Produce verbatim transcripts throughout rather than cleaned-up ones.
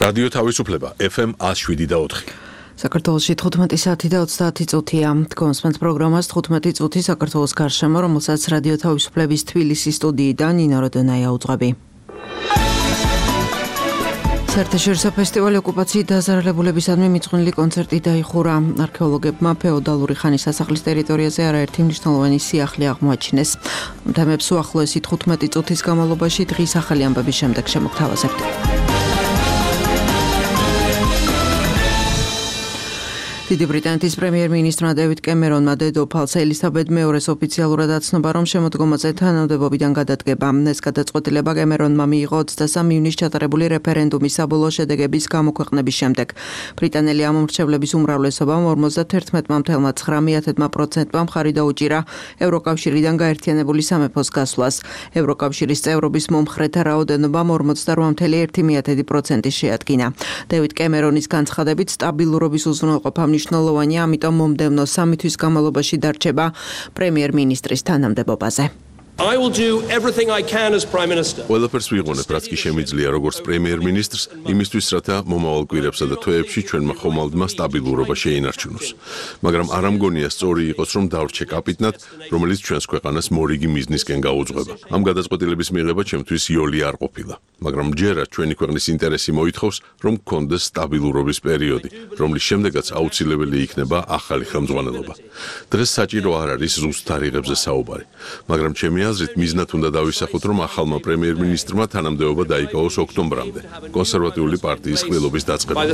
რადიო თავისუფლება ეფ ემ one oh seven და four. საქართველოში თხუთმეტი საათი და ოცდაათი წუთია. Თქვენს პროგრამას თხუთმეტი წუთი საქართველოს გარშემო, რომელსაც რადიო თავისუფლების თბილისის სტუდიიდან ნინო როდონაია უძღვები. საერთაშორისო ფესტივალი ოკუპაციით დაზარალებულებისადმი მიძღვნილი კონცერტი დაიხურა. არქეოლოგებმა ფეოდალური ხანის სასახლის ტერიტორიაზე არაერთი მნიშვნელოვანი სიახლე აღმოაჩინეს. თემებს უახლოესი თხუთმეტი წუთის განმავლობაში დღის ახალი ამბების შემდეგ შემოგთავაზებთ. დიდი ბრიტანეთის პრემიერ-მინისტრმა დევიდ კემერონმა დედოფალს ელისაბედ მეორეს ოფიციალურად აცნობა, რომ შემოდგომაზე თანამდებობიდან გადადგება. ეს გადაწყვეტილება კემერონმა მიიღო ოცდასამი ივნისს ჩატარებული რეფერენდუმის საბოლოო შედეგების გამოქვეყნების შემდეგ. ბრიტანელი ამომრჩევლების უმრავლესობამ ორმოცდაათი ათეული ცხრა პროცენტმა მხარი დაუჭირა ევროკავშირიდან გაერთიანებული სამეფოს გასვლას. ევროკავშირის წევრობის მომხრეთა რაოდენობამ ორმოცდარბዓ ათეული პროცენტი შეადგინა. დევიდ კემერონის განცხადებით სტაბილურობის უზრუნველყოფა მნიშვნელოვანია, ამიტომ მომდევნო სამი თვის განმავლობაში დარჩება პრემიერ-მინისტრის თანამდებობაზე. I will do everything I can as Prime Minister. ყველაფერს ვიღონებ, რაც კი შემიძლია როგორც პრემიერ-მინისტრს, იმისთვის, რათა მომავალ კვირებსა და თვეებში ჩვენმა ხომალდმა სტაბილურობა შეინარჩუნოს. მაგრამ არ ამგონია სწორი იყოს, რომ დავრჩე კაპიტნად, რომელიც ჩვენს ქვეყანას მორიგი მიზნისკენ გაუძღვება. ამ გადაწყვეტილების მიღება ჩემთვის იოლი არ ყოფილა. მაგრამ ჯერა ჩვენი ქვეყნის ინტერესი მოითხოვს, რომ გქონდეს სტაბილურობის პერიოდი, რომლის შემდეგაც აუცილებელი იქნება ახალი ხელმძღვანელობა. დღეს საჭირო არ არის ზუსტ თარიღებზე საუბარი, მაგრამ ჩემი აზრით მიზნად უნდა დავისახოთ, რომ ახალმა პრემიერ-მინისტრმა თანამდებობა დაიკავოს ოქტომბრამდე, კონსერვატიული პარტიის ყრილობის დაწყებამდე.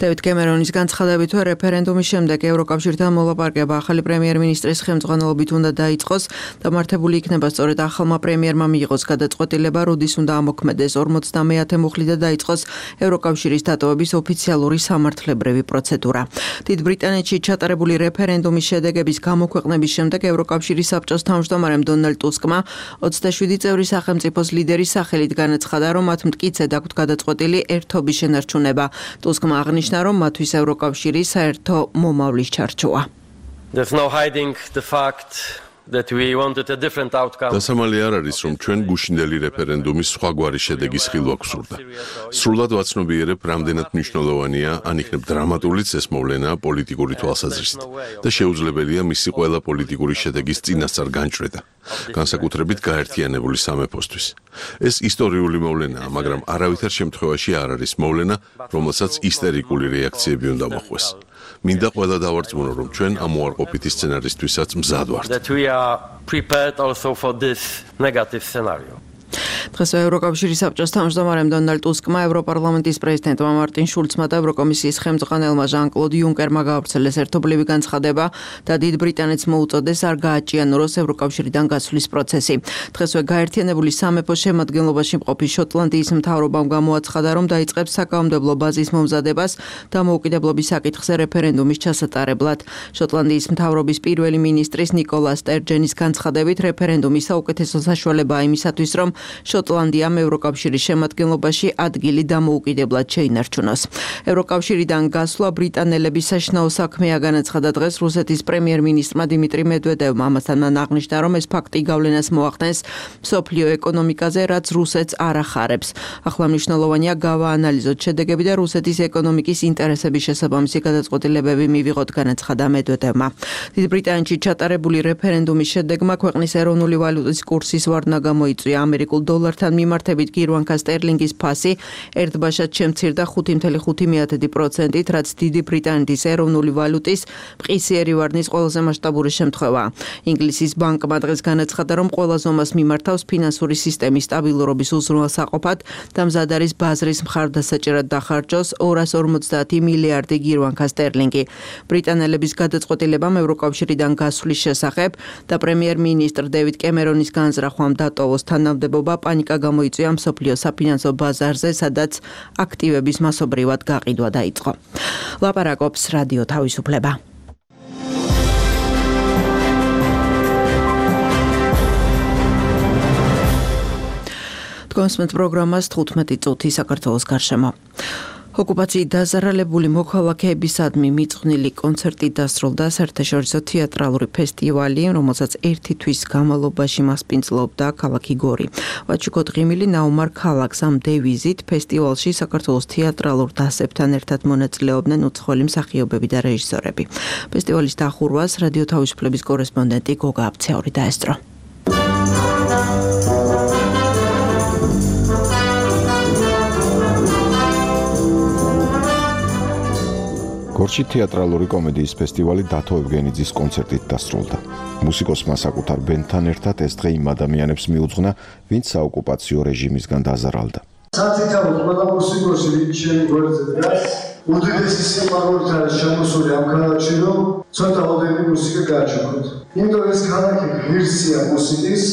დევიდ კემერონის განცხადებით, რეფერენდუმის შემდეგ ევროკავშირთან მოლაპარაკება ახალი პრემიერ-მინისტრის ხელმძღვანელობით უნდა დაიწყოს, დამართებული იქნება სწორედ ახალმა პრემიერმა მიიღოს გადაწყვეტილება, როდის უნდა ამოქმედდეს ორმოცდამეათე მუხლი და დაიწყოს ევროკავშირის დატოვების ოფიციალური სამართლებრივი პროცედურა. დიდ ბრიტანეთში ჩატარებული რეფერენდუმის შედეგების გამოქვეყნების შემდეგ ევროკავშირის საბჭოს თავმჯდომარემ დონალდ ტუსკმა ოცდაშვიდი წევრი სახელმწიფოს ლიდერის სახელით განაცხადა, რომ მათ მტკიცედ აქვთ გადაწყვეტილი ერთობის შენარჩუნება. ტუსკმა აღნიშნა, რომ მათთვის ევროკავშირის საერთო მომავლის ჩარჩოა. There's no hiding the fact that we wanted a different outcome. დასამალი არ არის, რომ ჩვენ გუშინდელი რეფერენდუმის სხვაგვარი შედეგის ხილვა გვსურდა. სრულად ვაცნობიერებ, რამდენად მნიშვნელოვანია, ან იქნებ დრამატულიც ეს მოვლენა პოლიტიკური თვალსაზრისით და შეუძლებელია მისი ყველა პოლიტიკური შედეგის წინასწარ განჭრედა, განსაკუთრებით გაერთიანებული სამეფოსთვის. ეს ისტორიული მოვლენაა, მაგრამ არავითარ შემთხვევაში არ არის მოვლენა, რომელსაც ისტერიკული რეაქციები უნდა მოხვდეს. მინდა ყველა დავარწმუნო, რომ ჩვენ ამ უარყოფითი სცენარისთვისაც მზად ვართ. That we are prepared also for this negative scenario. დღეს ევროკავშირის საბჭოს თავმჯდომარემ დონალდ ტუსკმა ევროპარლამენტის პრეზიდენტმა მარტინ შულცმა და ევროკომისიის ხელმძღვანელმა ჟან-კლოდ იუნკერმა გაავრცელეს ერთობლივი განცხადება და დიდ ბრიტანეთს მოუწოდეს არ გააჭიანუროს ევროკავშირიდან გასვლის პროცესი. დღესვე გაერთიანებული სამეფოს შემადგენლობაში მყოფი შოტლანდიის მთავრობამ გამოაცხადა, რომ დაიწყებს საკანონმდებლო ბაზის მომზადებას დამოუკიდებლობის საკითხზე რეფერენდუმის ჩასატარებლად. შოტლანდიის მთავრობის პირველი მინისტრის ნიკოლა სტერჯენის განცხადებით, რეფერენდუმის საუკეთესო საშუალებაა იმისათვის, რომ შოტლანდიამ ევროკავშირის შემადგენლობაში ადგილი დამოუკიდებლად შეინარჩუნოს. ევროკავშირიდან გასვლა ბრიტანელების საშინაო საქმეა, განაცხადა დღეს რუსეთის პრემიერ-მინისტრმა დიმიტრი მედვედევმა. ამასთან მან აღნიშნა, რომ ეს ფაქტი გავლენას მოახდენს მსოფლიო ეკონომიკაზე, რაც რუსეთს არ ახარებს. ახლა მნიშვნელოვანია გავაანალიზოთ შედეგები და რუსეთის ეკონომიკის ინტერესების შესაბამისი გადაწყვეტილებები მივიღოთ, განაცხადა მედვედევმა. დიდ ბრიტანეთში ჩატარებული რეფერენდუმის შედეგმა ქვეყნის ეროვნული ვალუტის კურსის ვარდნა გამოიწვია. ამერიკულ დოლართან მიმართებით გირვანქა სტერლინგის ფასი ერთბაშად შემცირდა ხუთი ათეული ხუთი პროცენტით, რაც დიდი ბრიტანეთის ეროვნული ვალუტის მყისიერი ვარდნის ყველაზე მასშტაბური შემთხვევაა. ინგლისის ბანკმა დღეს განაცხადა, რომ ყველა ზომას მიმართავს ფინანსური სისტემის სტაბილურობის უზრუნველსაყოფად და მზად არის ბაზრის მხარდასაჭერად დახარჯოს ორას ორმოცდაათი მილიარდი გირვანქა სტერლინგი. ბრიტანელების გადაწყვეტილებამ ევროკავშირიდან გასვლის შესახებ და პრემიერ-მინისტრ დევიდ კემერონის განზრახვამ დატოვოს თანამდებობა პანიკა გამოიწვია მსოფლიო საფინანსო ბაზარზე, სადაც აქტივების მასობრივად გაყიდვა დაიწყო. ლაპარაკობს რადიო თავისუფლება. თქვენს პროგრამას თხუთმეტი წუთი საქართველოს გარშემო. ოკუპაციით დაზარალებული მოქალაქეებისადმი მიწყვნილი კონცერტი დასრულდა საერთაშორისო თეატრალური ფესტივალი, რომელსაც ერთი თვის განმავლობაში მასპინძლობდა ქალაქი გორი. ვაჩუკო დღიმილი ნაუმარ ქალაქს ამ დევიზით ფესტივალში საქართველოს თეატრალურ დასებთან ერთად მონაწილეობდნენ უცხოელი მსახიობები და რეჟისორები. ფესტივალის დახურვას რადიო თავისუფლების კორესპონდენტი გოგა აბცეური დაესწრო. გორში თეატრალური კომედიის ფესტივალი დათო ევგენიძის კონცერტით დასრულდა. მუსიკოსმა საკუთარ ბენდთან ერთად ეს დღე იმ ადამიანებს მიუძღვნა, ვინც საოკუპაციო რეჟიმისგან დაზარალდა. სათითაოდ ყველა მუსიკოსი, ვინც ჩემი გვერდზე დგას, უდიდესი სიყვარულით არის შემოსული ამ ქალაქში, რომ ცოტა ოდენი მუსიკა გააჩუქოთ. იმიტომ ეს ქალაქი ღირსია მუსიკის,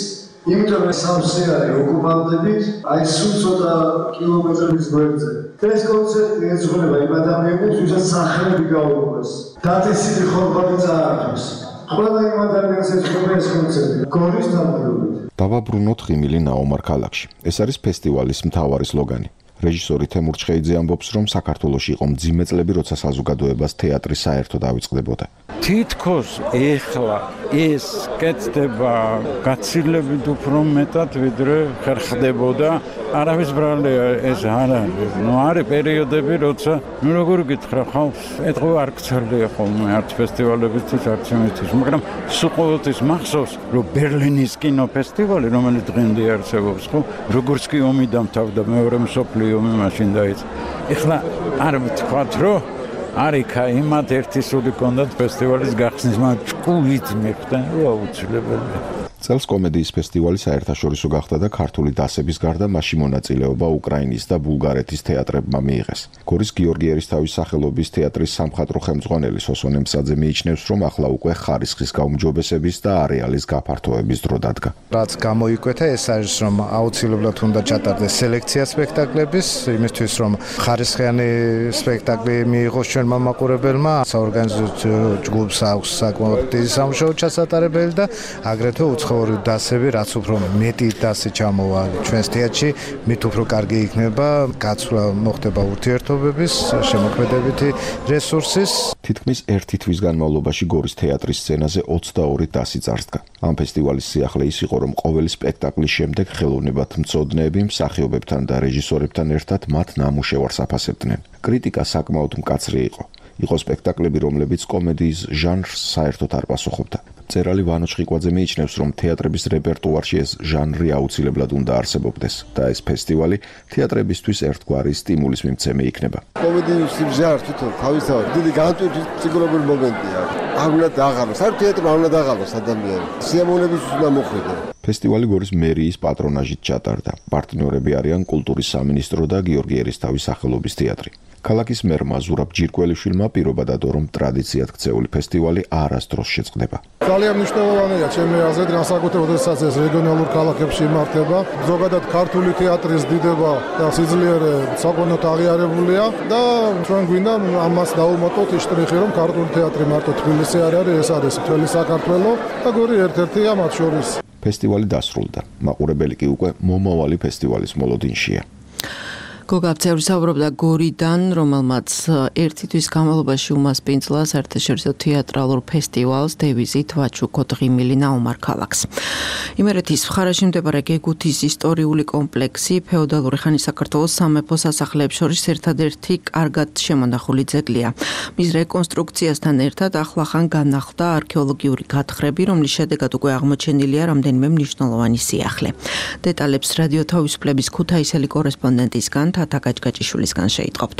იმიტომ ეს სამსე არის ოკუპანტებით, აი სულ ცოტა კილომეტრების გვერდზე. ეს კონცერტი ეძღვნება იმ ადამიანებს, ვისაც სახელები გაუღეს. დაწესილი ხორბალი წაართვეს. ყველა იმ ადამიანს ეძღვნება ეს კონცერტი. გორის დამკვირვებლობით. დავაბრუნოთ ღიმილი ნაუმარ ქალაქში. ეს არის ფესტივალის მთავარი სლოგანი. რეჟისორი თემურ ჩხეიძე ამბობს, რომ საქართველოში იყო მძიმე წლები, როცა საზოგადოებას თეატრი საერთოდ ავიწყდებოდა. თითქოს ეხლა ეს კეთდება გაცილებით უფრო მეტად, ვიდრე ხერხდებოდა. არავის ბრალია ეს არ არის. ნუ არის პერიოდები, როცა ნუ როგორ გითხრა, ხალხს ეთქვა არ გცელია ხოლმე არც ფესტივალებისთვის, არც იმისთვის, მაგრამ სულ ყოველთვის მახსოვს, რომ ბერლინის კინოფესტივალი, რომელიც დღემდე არსებობს, ხო, როგორც კი ომი დამთავრდა, მეორე მსოფლიო ომი მაშინ დაიწყო. ეხლა არ ვთქვათ, რომ არიქა იმათ ერთი სული კონდათ ფესტივალის გახსნის, მაგრამ ჭკუით მიხდა, რომ აუცილებელია. წელს კომედიის ფესტივალი საერთაშორისო გახდა და ქართული დასების გარდა მასში მონაწილეობა უკრაინის და ბულგარეთის თეატრებმა მიიღეს. გორის გიორგი ერისთავის სახელობის თეატრის სამხატვრო ხელმძღვანელი სოსონე მსაძე მიიჩნევს, რომ ახლა უკვე ხარისხის გაუმჯობესების და არეალის გაფართოების დრო დადგა. რაც გამოიკვეთა, ეს არის, რომ აუცილებლად უნდა ჩატარდეს სელექცია სპექტაკლების, იმისთვის, რომ ხარისხიანი სპექტაკლი მიიღოს ჩვენმა მაყურებელმა, საორგანიზაციო ჯგუფს აქვს საკმაოდ დიდი სამუშაო ჩასატარებელი და აგრეთვე უცხოური დასები, რაც უფრო მეტი დასი ჩამოვა ჩვენს თეატრში, მით უფრო კარგი იქნება გაცვლა მოხდება ურთიერთობების, შემოქმედებითი რესურსის. თითქმის ერთი თვის განმავლობაში გორის თეატრის სცენაზე ოცდაორი დასი წარსდგა. ამ ფესტივალის სიახლე ის იყო, რომ ყოველი სპექტაკლის შემდეგ ხელოვნებათმცოდნეები მსახიობებთან და რეჟისორებთან ერთად მათ ნამუშევარს აფასებდნენ. კრიტიკა საკმაოდ მკაცრი იყო. იყო სპექტაკლები, რომლებიც კომედიის ჟანრს საერთოდ არ პასუხობდა. მწერალი ვანო ჩხიკვაძე მიიჩნევს, რომ თეატრების რეპერტუარში ეს ჟანრი აუცილებლად უნდა არსებობდეს და ეს ფესტივალი თეატრებისთვის ერთგვარი სტიმულის მიმცემი იქნება. კომედიის ჟანრი თვითონ თავისთავად დიდი განტვირთული მომენტია. არ უნდა დაღალოს, არ თეატრმა არ უნდა დაღალოს ადამიანი. სიამოვნების უნდა მოხვიდე. ფესტივალი გორის მერიის პატრონაჟით ჩატარდა. პარტნიორები არიან კულტურის სამინისტრო და გიორგი ერისთავის სახელობის თეატრი. ქალაქის მერმა ზურაბ ჯირკველიშვილმა პირობა დადო, რომ ტრადიციად ქცეული ფესტივალი არასდროს შეწყდება. ძალიან მნიშვნელოვანია ჩემი აზრით, განსაკუთრებით როდესაც ეს რეგიონალურ ქალაქებში იმართება. ზოგადად ქართული თეატრის დიდება და სიძლიერე საკონოდ აღიარებულია და ჩვენ გვინდა ამას დავუმატოთ ის შტრიხი, რომ ქართული თეატრი მარტო თბილისი არ არის, ეს არის მთელი საქართველო და გორი ერთ-ერთია მათ შორის. ფესტივალი დასრულდა. მაყურებელი კი უკვე მომავალი ფესტივალის მოლოდინშია. გოგა აბცეური საუბრობდა გორიდან, რომელმაც ერთი თვის განმავლობაში უმასპინძლა საერთაშორისო თეატრალურ ფესტივალს დევიზით ვაჩუკო დღიმილი ნაუმარ ქალაქს. იმერეთის მხარეში მდებარე გეგუთის ისტორიული კომპლექსი ფეოდალური ხანის საქართველოს სამეფო სასახლეებს შორის ერთადერთი კარგად შემონახული ძეგლია. მის რეკონსტრუქციასთან ერთად ახლახან განახლდა არქეოლოგიური გათხრები, რომლის შედეგად უკვე აღმოჩენილია რამდენიმე მნიშვნელოვანი სიახლე. დეტალებს რადიო თავისუფლების ქუთაისელი კორესპონდენტისგან თათა გაჭგაჭიშვილისგან შეიტყობთ.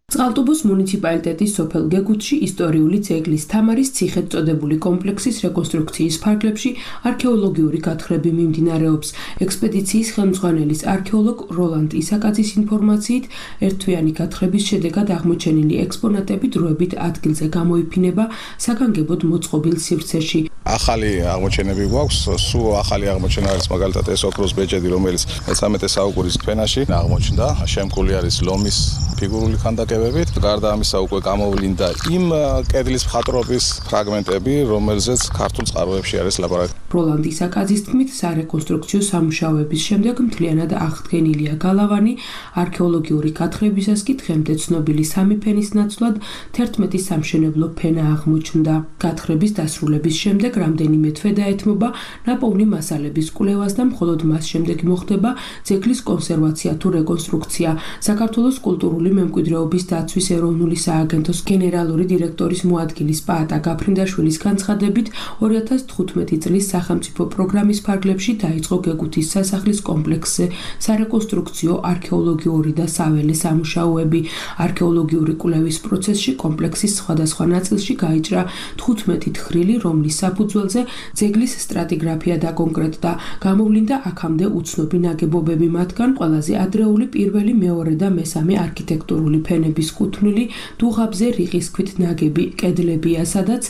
წყალტუბოს მუნიციპალიტეტის სოფელ გეგუთში ისტორიული ძეგლის თამარის ციხედ წოდებული კომპლექსის რეკონსტრუქციის ფარგლებში არქეოლოგიური გათხრები მიმდინარეობს. ექსპედიციის ხელმძღვანელის არქეოლოგ როლანდ ისაკაძის ინფორმაციით, ერთთვიანი გათხრების შედეგად აღმოჩენილი ექსპონატები დროებით ადგილზე გამოიფინება საგანგებოდ მოწყობილ სივრცეში. ახალი აღმოჩენები გვაქვს, სულ ახალი აღმოჩენა არის მაგალითად ეს ოქროს ბეჭედი, რომელიც მეცამეტე საუკუნის ფენაში აღმოჩნდა. შემკული არის ლომის ფიგურული ქანდაკებებით. გარდა ამისა უკვე გამოვლინდა იმ კედლის მხატვრობის ფრაგმენტები, რომელზეც ქართულ წყაროებში არის ლაპარაკი. როლანდ ისაკაძის თქმით, სარეკონსტრუქციო სამუშაოების შემდეგ მთლიანად აღდგენილია გალავანი, არქეოლოგიური გათხრებისას კი დღემდე ცნობილი სამი ფენის ნაცვლად თერთმეტი სამშენებლო ფენა აღმოჩნდა. გათხრების დასრულების შემდეგ რამდენიმე თვე დაეთმობა ნაპოვნი მასალების კვლევას და მხოლოდ მას შემდეგ მოხდება ძეგლის კონსერვაცია თუ რეკონსტრუქცია. საქართველოს კულტურული მემკვიდრეობის დაცვის ეროვნული სააგენტოს გენერალური დირექტორის მოადგილის პაატა გაფრინდაშვილის განცხადებით, ორი ათას თხუთმეტი წლის სახელმწიფო პროგრამის ფარგლებში დაიწყო გეგუთის სასახლის კომპლექსზე სარეკონსტრუქციო, არქეოლოგიური და საველე სამუშაოები. არქეოლოგიური კვლევის პროცესში კომპლექსის სხვადასხვა ნაწილში გაიჭრა თხუთმეტი თხრილი, რომლის საფუძველზე ძეგლის სტრატიგრაფია დაკონკრეტდა. გამოვლინდა აქამდე უცნობი ნაგებობები, მათგან ყველაზე ადრეული პირველი, მეორე და მესამე არქიტექტურული ფენების კუთვნილი დუღაბზე რიყის ქვით ნაგები კედლებია, სადაც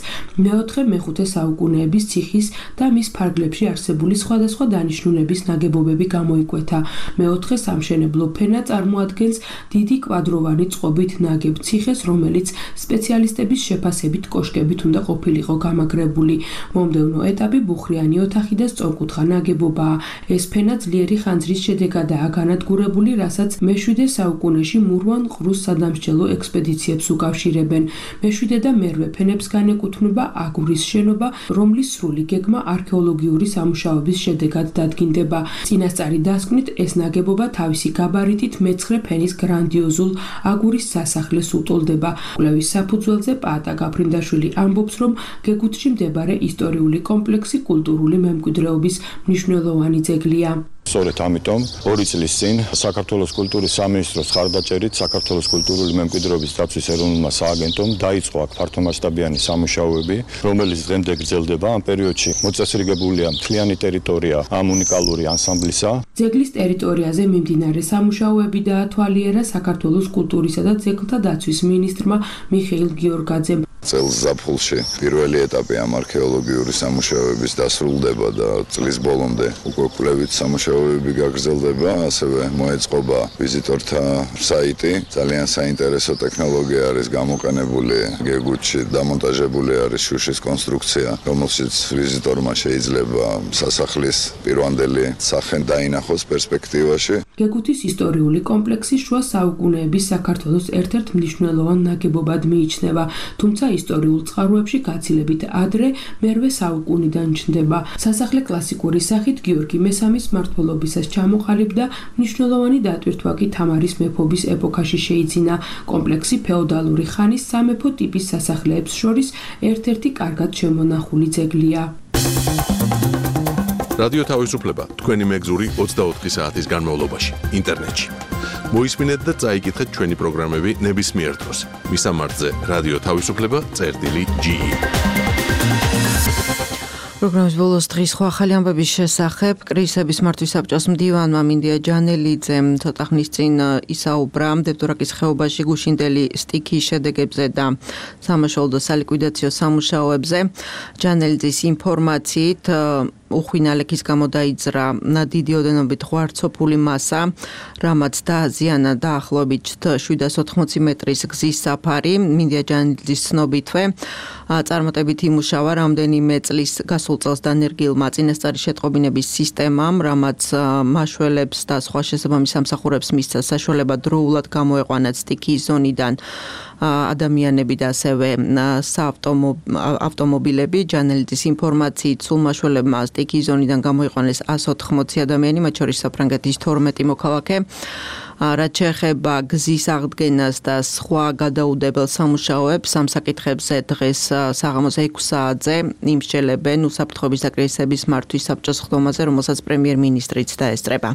მეოთხე მეხუთე საუკუნეების ციხის და მის ფარგლებში არსებული სხვადასხვა დანიშნულების ნაგებობები გამოიკვეთა. მეოთხე სამშენებლო ფენა წარმოადგენს დიდი კვადროვანი წყობით ნაგებ ციხეს, რომელიც სპეციალისტების შეფასებით კოშკებით უნდა ყოფილიყო გამაგრებული. მომდევნო ეტაპი ბუხრიანი ოთახი და სწორკუთხა ნაგებობაა. ეს ფენა ძლიერი ხანძრის შედეგადაა განადგურებული, რასაც მეშვიდე საუკუნეში მურვან ყრუს სადამსჯელო ექსპედიციებს უკავშირებენ. მეშვიდე და მერვე ფენებს განეკუთვნება აგურის შენობა, რომლის სრული გეგმა არქეოლოგიური სამუშაოების შედეგად დადგინდება. წინასწარი დასკვნით ეს ნაგებობა თავისი გაბარიტით მეცხრე ფენის გრანდიოზულ აგურის სასახლეს უტოლდება. კვლევის საფუძველზე პაატა გაფრინდაშვილი ამბობს, რომ გეგუთში მდებარე ისტორიული კომპლექსი კულტურული მემკვიდრეობის მნიშვნელოვანი ძეგლია. სწორედ ამიტომ ორი წლის წინ საქართველოს კულტურის სამინისტროს ხარდაჭერით საქართველოს კულტურული მემკვიდრეობის დაცვის ეროვნულმა სააგენტომ დაიწყო აქ ფართომასშტაბიანი სამუშაოები, რომელიც დღემდე გრძელდება. ამ პერიოდში მოწესრიგებულია მთლიანი ტერიტორია ამ უნიკალური ანსამბლისა. ძეგლის ტერიტორიაზე მიმდინარე სამუშაოები დაათვალიერა საქართველოს კულტურისა და ძეგლთა დაცვის მინისტრმა მიხეილ გიორგაძემ. წელს ზაფხულში პირველი ეტაპი ამ არქეოლოგიური სამუშაოების დასრულდება და წლის ბოლომდე უკვე კვლევით სამუშაოები გაგრძელდება, ასევე მოეწყობა ვიზიტორთა საიტი. ძალიან საინტერესო ტექნოლოგია არის გამოყენებული გეგუთში, დამონტაჟებული არის შუშის კონსტრუქცია, რომელშიც ვიზიტორმა შეიძლება სასახლის პირვანდელი სახე დაინახოს პერსპექტივაში. გეგუთის ისტორიული კომპლექსი შუა საუკუნეების საქართველოს ერთ-ერთ მნიშვნელოვან ნაგებობად მიიჩნევა, თუმცა ისტორიულ წყაროებში გაცილებით ადრე მერვე საუკუნიდან ჩნდება. სასახლე კლასიკური სახით გიორგი მესამის მმართველობისას ჩამოყალიბდა, მნიშვნელოვანი დატვირთვა კი თამარის მეფობის ეპოქაში შეიძინა. კომპლექსი ფეოდალური ხანის სამეფო ტიპის სასახლეებს შორის ერთ-ერთი კარგად შემონახული ძეგლია. რადიო თავისუფლება თქვენი მეგზური ოცდაოთხი საათის განმავლობაში ინტერნეტში. მოისმინეთ და წაიკითხეთ ჩვენი პროგრამები ნებისმიერ დროს. მისამართზე რადიო თავისუფლება წერტილი ჯი ი. პროგრამის ბოლოს დღის სხვა ახალი ამბების შესახებ კრიზისების მართვის საბჭოს მდივანმა მინდია ჯანელიძემ ცოტა ხნის წინ ისაუბრა დევდორაკის ხეობაში გუშინდელი სტიქიის შედეგებზე და სამაშველო და სალიკვიდაციო სამუშაოებზე. ჯანელიძის ინფორმაციით უხვინალექის გამო დაიძრა დიდი ოდენობით ღვარცოფული მასა, რამაც დააზიანა დაახლოებით შვიდას ოთხმოცი მეტრის გზის საფარი. მინდია ჯანელიძის ცნობითვე წარმატებით იმუშავა რამდენიმე წლის გასულ წელს დანერგილმა წინასწარი შეტყობინების სისტემამ, რამაც მაშველებს და სხვა შესაბამის სამსახურებს მისცა საშუალება დროულად გამოეყვანათ სტიქიის ზონიდან ადამიანები და ასევე ავტომობილები. ჯანელიძის ინფორმაციით სულ მაშველებმა სტიქიის ზონიდან გამოიყვანეს ასი ოთხმოცი ადამიანი, მათ შორის საფრანგეთის თორმეტი მოქალაქე. რაც შეეხება გზის აღდგენას და სხვა გადაუდებელ სამუშაოებს, ამ საკითხებზე დღეს საღამოს ექვსი საათზე იმსჯელებენ უსაფრთხოების და კრიზისების მართვის საბჭოს ხდომაზე, რომელსაც პრემიერ-მინისტრიც დაესწრება.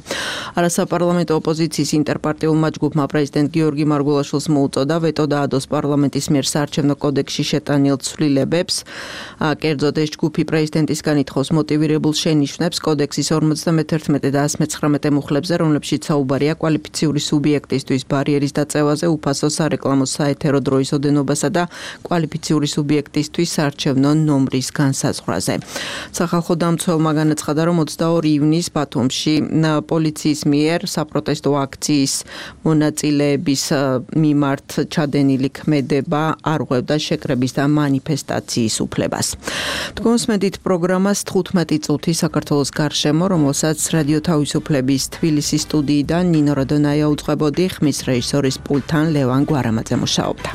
არასაპარლამენტო ოპოზიციის ინტერპარტიულმა ჯგუფმა პრეზიდენტ გიორგი მარგველაშვილს მოუწოდა ვეტო დაადოს პარლამენტის მიერ საარჩევნო კოდექსში შეტანილ ცვლილებებს. კერძოდ ეს ჯგუფი პრეზიდენტისგან ითხოვს მოტივირებულ შენიშვნებს კოდექსის ორმოცდამეთერთმეტე და ასი მეცხრამეტე მუხლებზე, რომლებშიც საუბარია კვალიფიციური კოალიციური სუბიექტისთვის ბარიერის დაწევაზე, უფასო სარეკლამო საეთერო დროის ოდენობასა და კვალიფიციური სუბიექტისთვის საარჩევნო ნომრის განსაზღვრაზე. სახალხო დამცველმა განაცხადა, რომ ოცდაორი ივნის ბათუმში პოლიციის მიერ საპროტესტო აქციის მონაწილეების მიმართ ჩადენილი ქმედება არ ღვევდა შეკრების და მანიფესტაციის უფლებას. თქვენსმენთ პროგრამას თხუთმეტი წუთი საქართველოს გარშემო, რომელსაც რადიო თავისუფლების თბილისის სტუდიიდან ნინო რადონაია უძღვებოდი, ხმის რეჟისორის პულტთან ლევან გვარამაძე მუშაობდა.